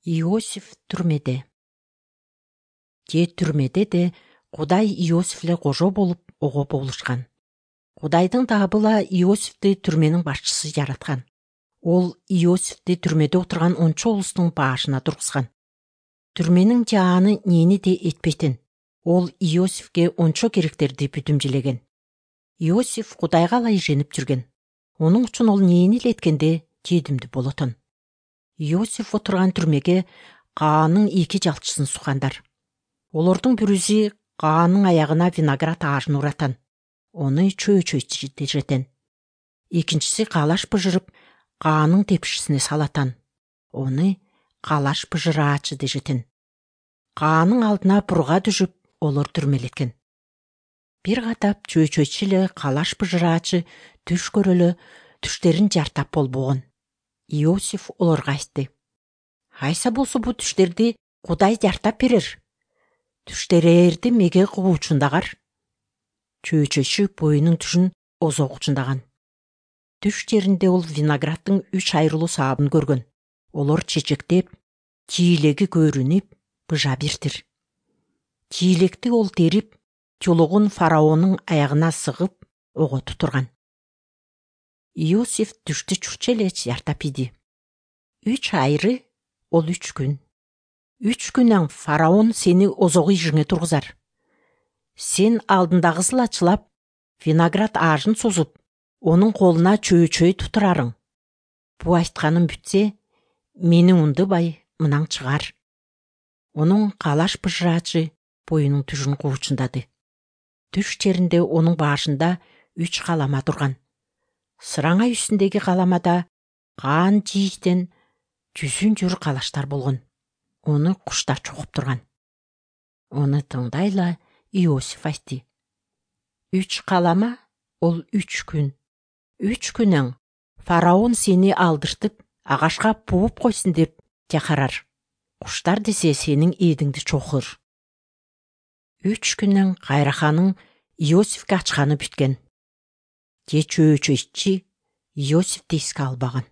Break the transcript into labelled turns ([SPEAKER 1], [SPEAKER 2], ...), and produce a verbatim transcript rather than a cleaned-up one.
[SPEAKER 1] Иосиф түрмеде. Же түрмеде де Кудай Иосифле кожо болуп ого болушкан. Кудайдын табыла Иосифти түрменин башчысы жараткан. Ол Иосифти түрмеде отурган ончо улустун башына тургузган. Түрменин жааны нени де этпейтин. Ол Иосифке ончо керектерди бүтүмжүлеген. Иосиф Кудайга ала иженип жүргөн. Онун үчүн ол нени эле эткенде жедимдүү болотун. Иосиф отурган түрмеге Каанын эки жалчысын суккандар. Олордун бирүүсү Каанын аягына виноград аажын уратан. Ону чөө-чөө дежетен. Экинчиси калаш быжырып Каанын тепшисине салатан. Ону калаш быжыраачы дежетен. Каанын алдына бурга түшүп, олор түрмелеткен. Бир катап чөө-чөөчү эле калаш быжыраачы түш көрөлө түштерин жартап болбогон. Иосиф олорго айтты: "Айса болсо бу түштерди Кудай жартап берер. Түштерерди меге куучундагар?" Чөө-чөөчү боюнун түшүн озогучундаган. Түш жеринде ол винограддын үч айрылуу саабын көргөн. Олор чечектеп, жийлеги көрүнүп, быжа биртир. Жийлекти ол терип, чулугун фараондун аягына сыгып, оготуп турган. Иосиф түштү чурчу эле жартап иди. Үч айры — ол үч күн. Үч күнөн фараон сени озогу ижиңе тургузар. Сен алдындагысын ачылап, виноград аажын созуп, онун колуна чөө-чөө тутурарың. Бу айтканым бүтсө, мени ундубай мынан чыгар. Онун калаш быжыраачы боюнун түшүн куучундады. Түш жеринде онун башында үч калама турган. Сыраңа үстүндөгү каламада Каан жийиштен жүзүн жүр калаштар болгон. Ону куштар чогуп турган. Ону тыңдайла Иосиф айтты: "Үч калама — ол үч күн. Үч күнөн фараон сени алдыртып, агашка бууп койсун деп жакарар. Куштар десе сенин ээдиңди чокур." Үч күнөн кайраханын Иосифке ачканы бүткөн. Же чөө-чөөчү Иосифти эске албаган.